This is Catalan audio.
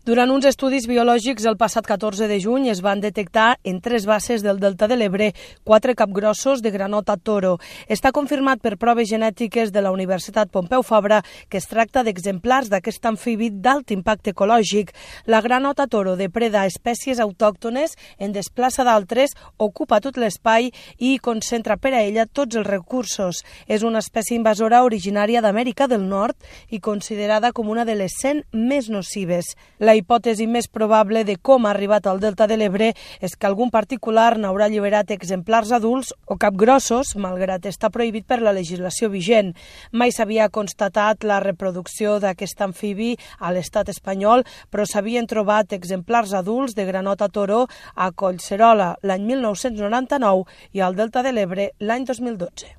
Durant uns estudis biològics el passat 14 de juny es van detectar en 3 basses del Delta de l'Ebre 4 capgrossos de granota toro. Està confirmat per proves genètiques de la Universitat Pompeu Fabra que es tracta d'exemplars d'aquest amfibi d'alt impacte ecològic. La granota toro depreda espècies autòctones, en desplaça d'altres, ocupa tot l'espai i concentra per a ella tots els recursos. És una espècie invasora originària d'Amèrica del Nord i considerada com una de les 100 més nocives. La hipòtesi més probable de com ha arribat al Delta de l'Ebre és que algun particular n'haurà alliberat exemplars adults o capgrossos, malgrat estar prohibit per la legislació vigent. Mai s'havia constatat la reproducció d'aquest amfibi a l'estat espanyol, però s'havien trobat exemplars adults de granota toro a Collserola l'any 1999 i al Delta de l'Ebre l'any 2012.